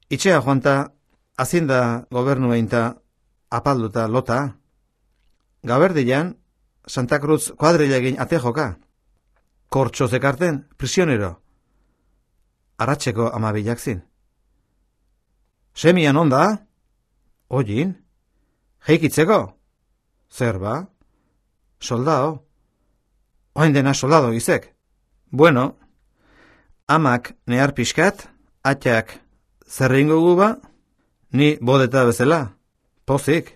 Itxea joanta, azinda gobernu einta apalduta lota. Gaberdian, Santa Cruz kuadrilegin ate joka. Kortxo zekarten, prisionero. Arratxeko 12 zin. Semian onda? Oin? Heikitzeko? Zer ba? Soldao? Oain dena soldado izek. Bueno, amak nehar pixkat, atxak zerringo guba, ni bodeta bezala, pozik.